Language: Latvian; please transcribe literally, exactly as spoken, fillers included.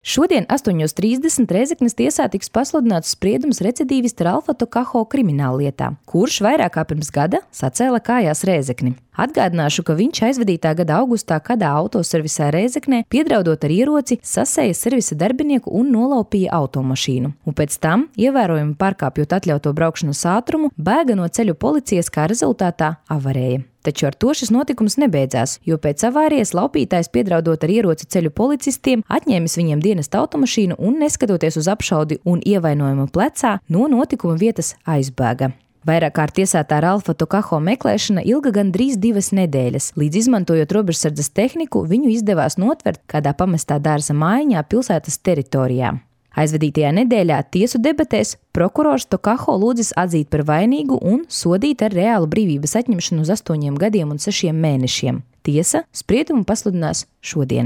Šodien astoņos trīsdesmit Rēzeknes tiesā tiks pasludināts spriedums recidīvista Ralfa Tokaho krimināllietā, kurš vairāk kā pirms gada sacēla kājās Rēzekni. Atgādināšu, ka viņš aizvadītā gada augustā kādā autoservisā Rēzeknē, piedraudot ar ieroci, sasēja servisa darbinieku un nolaupīja automašīnu. Un pēc tam, ievērojami pārkāpjot atļauto braukšanas ātrumu, bēga no ceļu policijas, kā rezultātā avarēja. Taču ar to šis notikums nebeidzās, jo pēc avārijas laupītājs, piedraudot ar ieroci ceļu policistiem, atņēmis viņiem dienesta automašīnu un, neskatoties uz apšaudi un ievainojumu plecā, no notikuma vietas aizbēga. Vairāk kārt tiesātā Ralfa Tokaho meklēšana ilga gandrīz divas nedēļas, līdz izmantojot robežsardzes tehniku, viņu izdevās notvert kādā pamestā dārza mājiņā pilsētas teritorijā. Aizvadītajā nedēļā tiesu debatēs prokurors Tokaho lūdzis atzīt par vainīgu un sodīt ar reālu brīvības atņemšanu uz astoņiem gadiem un sešiem mēnešiem. Tiesa spriedumu pasludinās šodien.